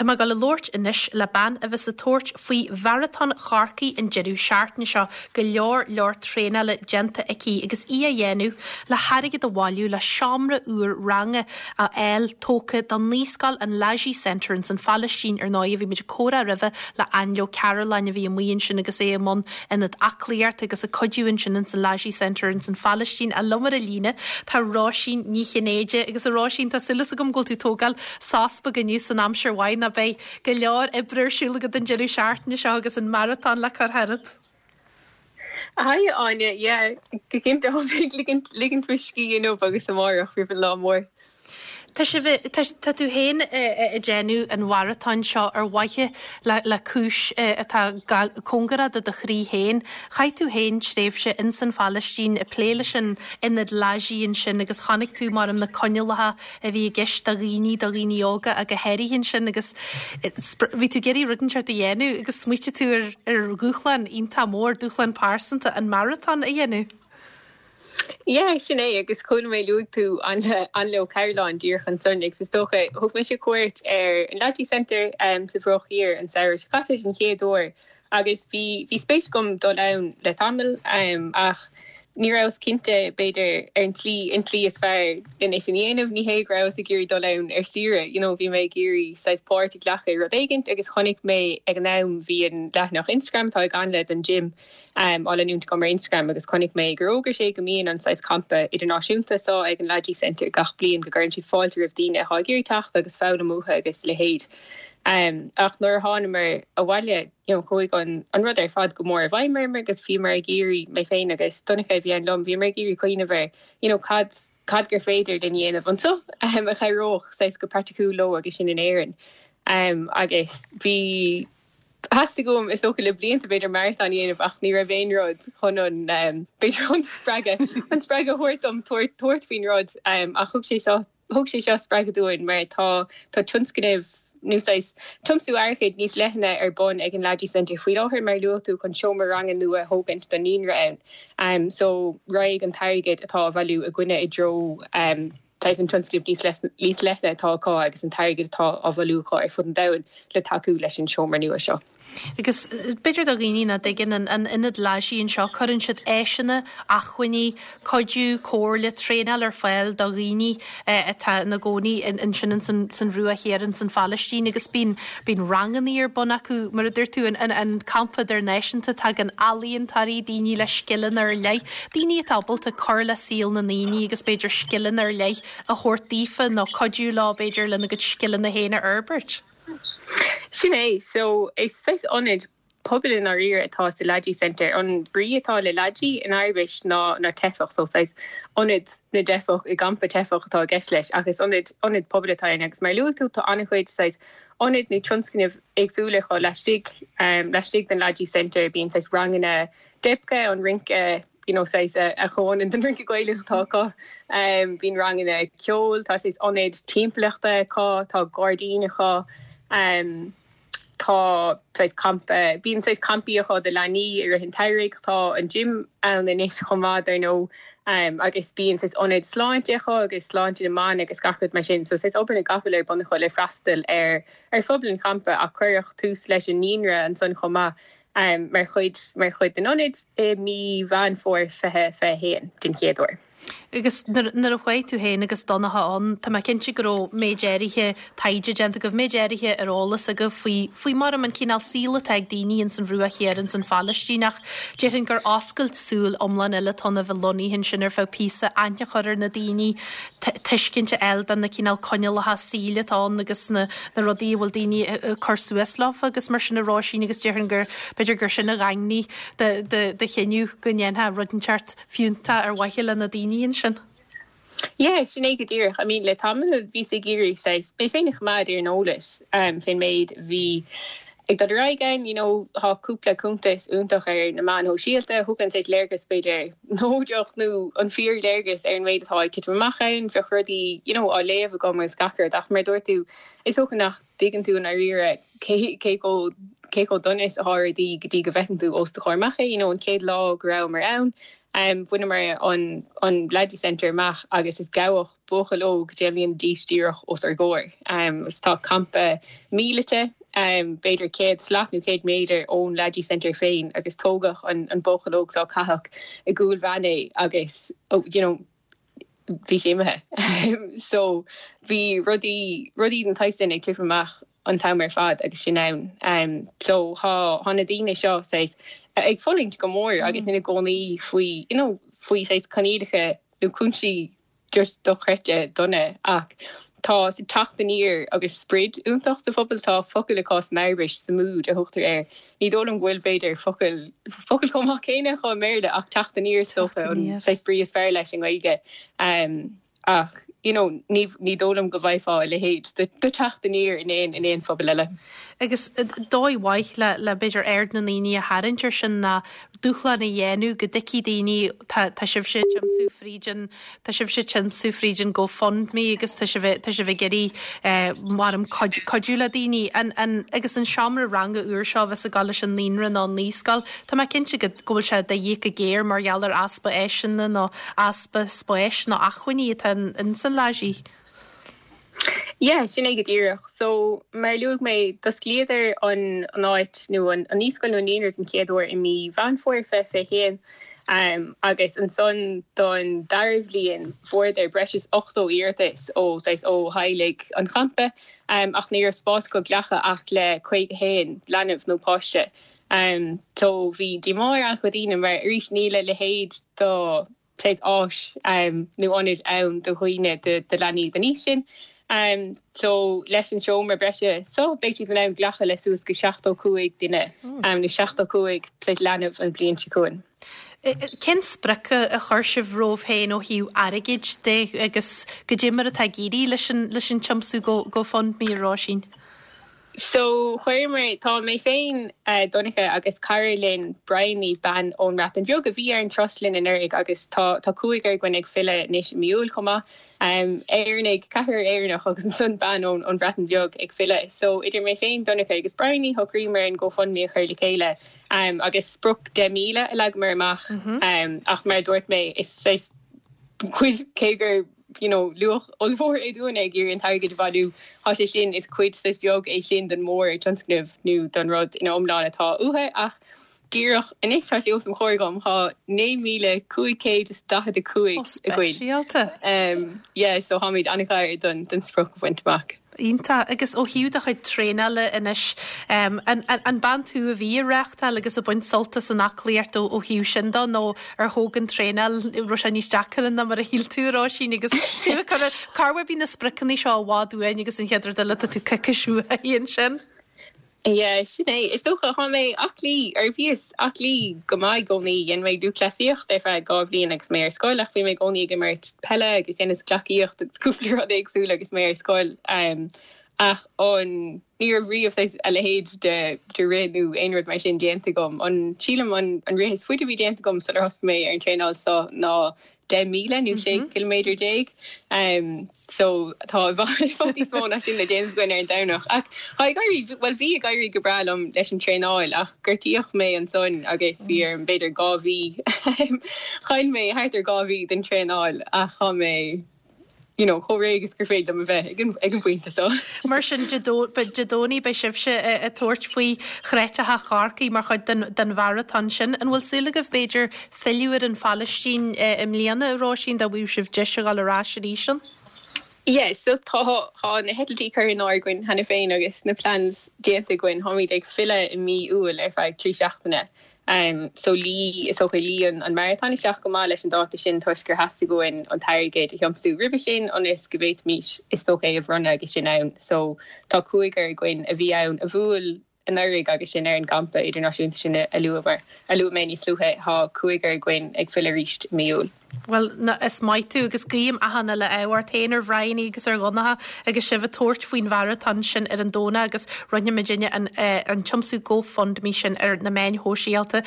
Tá mé ag dul a labhairt anois le bean a bheas ag tabhairt faoi Mharatón Chorcaí an deireadh seachtaine seo, go leor leor traenála déanta aici agus í á dhéanamh le hairgead a bhailiú le seomra úr ranga a fháil tógtha do naíscoil an Lajee Centre ins an Phalaistín. Ar ndóigh bhí muid ag comhrá roimhe le Ainle Ó Cearúlláin a bhí amuigh ansin agus é i mbun ionad aclaíochta agus ag cuidiú ansin ins an Lajee Centre ins an Phalaistín. Ach liom ar an líne tá Róisín Ní Chinnéide agus a Róisín tá súil agam go bhfuil tú ag tógáil sos beag inniu san aimsir mhaith ná beidh go leor oibre ar siúl agat an deireadh seachtaine seo agus an maratón le cur tharat. Haigh Áine, yeah, go cinnte tá mé ag ligint ligint mo scíth inniu agus amárach roimh an lá mór. Tá sibh, tá, tá tú féin ag déanamh an mharatóin seo ar mhaithe le, le cúis atá cóngarach do do chroí féin. Chaith tú féin tréimhse ins an Phalaistín ag plé leis an ionad Lajee ansin agus chonaic tú mar na coinníollacha a bhí i gceist do dhaoine, do dhaoine óga ach go háirithe ansin agus bhí tú ag iarraidh rud inteacht a dhéanamh agus smaoitigh tú ar ar dhúshlán iontach mór, dúshlán pearsanta, an maratón a dhéanamh. Yeah, sin é agus chuala mé luaigh tú Ainle Ó Cearúlláin díreach ansan agus is dócha thug mise cuairt ar an Lajee Centre sa Bhruach Thiar an samhradh seo caite den chéad uair Agus bhí, bhí spéis agam dul ann le tamall, ach ní rabhas cinnte, b'fhéidir, ar an tslí, an tslí is fearr len é sin a dhéanamh. Ní hé go rabhas ag iarraidh dul ann ar saoire, you know, bhí mé ag iarraidh saghas páirt a ghlacadh i rud éigint agus chonaic mé ag an am, bhí an leathanach Instagram atá ag Ainle don gym á leanúint agam ar Instagram agus chonaic mé gur fhógair sé go mbíonn an saghas campa idirnáisiúnta seo ag an Lajee Centre gach bliain, go gcuireann siad fáilte roimh daoine atá ag iarraidh teacht agus foghlaim uathu agus a leithéid. Ach nuair a thánamar abhaile, you know, chuaigh an an rud ar fad go mór i bhfeidhm orm agus bhíomar ag iarraidh, mé féin agus Donncha a bhí ann liom, bhíomar ag iarraidh cuimhneamh ar, you know, cad, cad gur féidir linn a dhéanamh anseo a chabhródh saghas go praiticiúil leo agus sinn in Éirinn. Agus bhí, theastaigh uaim, is dócha le blianta b'fhéidir maratón a dhéanamh ach ní raibh aon rud chun an, b'fhéidir an spreagadh, an spreagadh a thabhairt dom tabhairt, tabhairt faoin rud ach thug sé seo, Thug sé seo spreagadh dúinn mar tá tá tionscnamh nó saghas tiomsú airgid níos leithne ar bun ag an Lajee Centre faoi láthair mar a luaigh tú chun seomra ranga nua a thógaint don naíonra ann. So raghaidh an t-airgead atá á bhailiú againne i dtreo saghas an tionscnaimh níos níos leithne atá acu agus an t-airgead atá á bhailiú acu ar fud an domhain le tacú leis an seomra nua seo. Agus b'fhéidir do dhaoine nach dtuigeann an an ionad Lajee anseo, cuireann siad áiseanna, acmhainní, cuidiú, comhairle, traenáil ar fáil do dhaoine atá ina gcónaí ansin san san Bhruach Thiar in san Phalaistín agus bíonn bíonn rangannaí ar bun acu, mar a dúirt tú, an an an campa idirnáisiúnta, tagann ealaíontóirí, daoine le scileanna ar leith, daoine atá ábalta cur le saol na ndaoine agus b'fhéidir scileanna ar leith a thabhairt daofa nó cuidiú leo b'fhéidir lena gcuid scileanna féin a fhorbairt. Sin é. So, is saghas ionad pobail i ndáiríre atá sa Lajee Centre. An brí atá le Lajee in Araibis ná ná teifeach, so saghas ionad na dteifeach i gcampa teifeach atá i gceist leis ach is ionad ionad pobail atá ann agus mar a luaigh tú tá an-chuid saghas ionaid nó tionscnaimh éagsúla acu laistigh laistigh den Lajee Centre. Bíonn saghas ranganna debke, an rince you know saghas a chomhionann don rince Gaelach atá acu. Bíonn ranganna ceoil, tá saghas ionad timpeallachta acu, tá gairdín acu, tá saghas campa, bíonn saghas campaí acu do leanaí i rith an tsamhraidh, tá an gym ann anois chomh maith dar ndóigh agus bíonn saghas ionad sláinte acu agus sláinte na mban agus gach rud mar sin. So saghas obair na gcapall ar bun acu le freastal ar ar phobal an champa ach cuireadh tús leis an naíonra ansan chomh maith. mar chuid mar chuid den ionad i mí Mheán Fómhair 2021 den chéad uair. Agus nuair a chuaigh tú féin agus Donncha ann, tá mé cinnte go raibh méid áirithe taighde déanta agaibh, méid áirithe ar eolas agaibh faoi, faoi mar an cineál saoil atá ag daoine ins an Bhruach Thiar ins an Phalaistín ach déarfainn gur oscailt súl iomlán eile atá ann a bheith lonnaithe ansin ar feadh píosa, aithne a chur ar na daoine, tuiscint a fháil do na cineál coinníollacha saoil atá ann agus na rudaí a bhfuil daoine ag cur suas leofa agus mar sin a Róisín agus déarfainn gur, b'fhéidir gur sin a dhaingnigh do chinneadh go ndéanfá rud inteacht fiúntach ar mhaithe le na daoine ansin. Yeah, sin é go díreach. I mean, le tamall bhíos ag iarraidh saghas, mé féin a choimeád ar an eolas fén méid a bhí ag dul ar aghaidh ann, you know, tá cúpla cuntas iontach ar na meáin shóisialta a thugann saghas léargas b'fhéidir neodrach nó an fíor-léargas ar an méid atá ag titim amach ann, bheadh rudaí, you know, á léamh agam agus gach rud ach mar a dúirt tú, is dócha nach dtuigeann tú i ndáiríre cé cé chomh cé chomh dona is atá rudaí go dtí go bhfeiceann tú os do chomhair amach é, you know, an chéad lá go rabhamar ann. Bhaineamar an an Lajee Centre amach agus is gabhadh buachaill óg 10 mbliana d'aois díreach os ár gcomhair. Agus tá campa míleata b'fhéidir 100 slat nó 100 méadar ón Lajee Centre féin agus tógadh an an buachaill óg seo caitheadh i gcúl veain é agus you know bhí sé imithe. So bhí rudaí rudaí den tsaghas sin ag titim amach an t-am ar fad agus sinn ann. So thá thá na daoine seo saghas ag fulaingt go mór agus ina gcónaí faoi you know faoi saghas coinníollacha nó cúinsí just dochreidte dona ach tá teacht aniar agus sprid iontach sa phobal. Tá focal acu san Araibis, sumud a thugtar air. Ní dóigh liom go bhfuil b'fhéidir focal focal chomh maith céanna acu i mBéarla ach teacht aniar is dócha an saghas brí is fearr leis i nGaeilge. Ach, you know, ní, ní dóigh liom go bhfaighfeá a leithéid de, de teacht aniar in aon, in aon phobal eile. Agus dóigh mhaith le, le b'fhéidir aird na ndaoine a tharraingt air sin ná dúshlán a dhéanamh go dtuigfidh daoine, tá, tá sibhse ag tiomsú fríd an, tá sibhse ag tiomsú fríd an GoFundMe agus tá sibh, tá sibh ag iarraidh eh, maram cuid, cuidiú le daoine. An, an, agus an seomra ranga úr seo a bheas ag dul leis an naíonra nó an naíscoil, Tá mé cinnte go go bhfuil sé de dhíth go géar mar gheall ar easpa áiseanna nó easpa spáis nó acmhainní atá in san Lajee. Yeah, sin é go díreach. So, mar a luaigh mé, d'osclaíodar an an áit nó an an naíscoil nó an naíonra den chéad uair i mí Mheán Fómhair 2021 um, agus ansan don dara bhliain fuaireadar breis is 80 iarratas ó saghas ó theaghlaigh an champa um, ach ní raibh spás acu glacadh ach le 51 leanbh nó páiste. So bhí díomá ar an-chuid daoine mar arís níl a leithéid de saghas áis nó ionad ann do dhaoine, do leanaí den aois sin. So leis an seomra breise so beidh siad in ann glacadh le suas go 75 duine nó 75 saghas leanbh an bhliain seo chugainn. Cén sprioc a chuir sibh romhaibh féin ó thaobh airgid de agus goidé mar atá ag éirí leis an tiomsú GoFundMe, a Róisín? So, chuireamar, tá mé féin, Donncha agus cara linn, Bryony, bean ón mBreatain Bheag a bhí ar an turas linn anuraidh agus tá, tá cúigear againn ag filleadh anois i mí Iúil chomh maith. Éireannaigh, ceathrar Éireannach agus ansan bean ón, ón Bhreatain Bheag ag filleadh. So, idir mé féin, Donncha agus Bryony, shocraíomar an GoFundMe a chur le chéile agus sprioc 10,000 a leagamar amach ach mar a dúirt mé, is saghas cuid, cé gur, you know, luach ollmhór é dúinne ag iarraidh an t-airgead a bhailiú. Tá sé sin, is cuid saghas beag é sin den mhórtionscnamh nó don rud ina iomlán atá uathu ach díreach anois tá sé os mo chomhair agam, tá 9,545 againn. Speisialta. Yeah, so táimid an-ghar don don sprioc a bhaint amach. Iontach. Agus ó thaobh do chuid traenála anois, an bean tú a bhí ag reáchtáil agus ag baint sult as an aclaíocht ó thaobh sin de nó ar thóg an traenáil, raibh sé níos deacra ná mar a shíl tú, a Róisín, agus tú ag cur, corruair bíonn na spriocanna seo i bhfad uainn agus an chéad rud eile tá tú coicís uaidh ansin. Yeah, sin é. Is dócha, tá mé aclaí, or bhíos aclaí go maith i gcónaí. Dhein mé lúthchleasaíocht ar feadh 2 bhliain agus mé ar scoil ach bhí mé i gcónaí ag imirt peile agus dheineas gleacaíocht agus cúpla rud éagsúil agus mé ar scoil. Ach an, ní raibh riamh saghas a leithéid de, de rith nó aon rud mar sin déanta agam. An, sílim an, an rith is faide a bhí déanta agam sular thosaigh mé ar an traenáil seo ná 10,000 nó 16 ciliméadar. So tá i bhfad níos mó ná sin le déanamh againn ar an Domhnach. Ach tá ag éirí, bhuel bhí ag éirí go breá liom leis an traenáil ach gortaíodh mé ansan agus bhí orm b'fhéidir 2 mhí, chaill mé thart ar 2 mhí den traenáil ach tá mé you know chomh réidh is gur féidir liom a bheith ag an ag an bpointe seo. Mar sin Dé Domhnaigh beidh sibhse ag tabhairt faoi Chreatalach Chorcaí mar chuid den den mharatón sin. An bhfuil súil agaibh b'fhéidir filleadh ar an Phalaistín i mbliana, a Róisín, dá bhfaigheadh sibh deis a dhul ar ais arís ann? Yeah, so tá tá na heitiltí curtha in áirithe againn cheana féin agus na plans déanta againn. Táimid ag filleadh i mí Iúil ar feadh 3 seachtaine. Um, so luigh, is dócha, luigh an an maratón isteach go maith leis an dáta sin toisc gur theastaigh uainn an t-airgead a thiomsú roimhe sin ionas go bhféadfaimis, is dócha, é a bhronnadh agus sinn ann. So tá cúigear againn a bhí ann a bhuail anuraidh agus sinn ar an gcampa idirnáisiúnta sin a luamar, a luaigh mé níos luaithe, tá cúigear againn ag filleadh arís i mí Iúil. Bhuel, is maith tú agus guím achan uile ádh ort féin, ar Bhryony agus ar Dhonncha agus sibh ag tabhairt faoin mharatón sin ar an Domhnach agus roinnfidh muidinne an, an tiomsú GoFundMe sin ar na meáin shóisialta.